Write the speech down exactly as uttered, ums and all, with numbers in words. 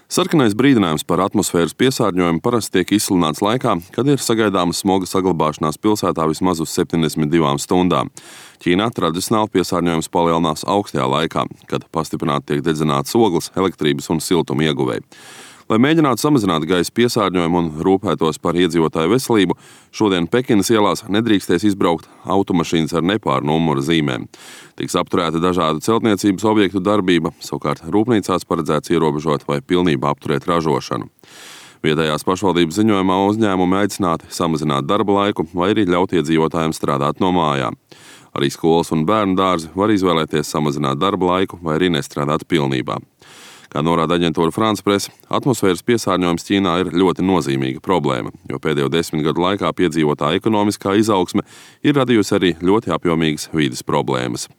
Sarkanais brīdinājums par atmosfēras piesārņojumu parasti tiek izsludināts laikā, kad ir sagaidāma smoga saglabāšanās pilsētā vismaz uz septiņdesmit divām stundām. Ķīnā tradicionāli piesārņojums palielinās augstajā laikā, kad pastiprināti tiek dedzināts ogles, elektrības un siltuma ieguvēji. Lai mēģinātu samazināt gaisa piesārņojumu un rūpētos par iedzīvotāju veselību, šodien Pekinas ielās nedrīkstēs izbraukt automašīnas ar nepāru numura zīmēm. Tiks apturēta dažādu celtniecības objektu darbība, savukārt rūpnīcās paredzēts ierobežot vai pilnībā apturēt ražošanu. Vietējās pašvaldības ziņojumā uzņēmumi aicināti samazināt darba laiku vai arī ļaut iedzīvotājiem strādāt no mājām. Arī skolas un bērnu dārzi var izvēlēties samazināt darba laiku vai arī nestrādāt pilnībā. Kā norāda aģentūra France Presse, atmosfēras piesārņojums Ķīnā ir ļoti nozīmīga problēma, jo pēdējo desmit gadu laikā piedzīvotā ekonomiskā izaugsme ir radījusi arī ļoti apjomīgas vides problēmas.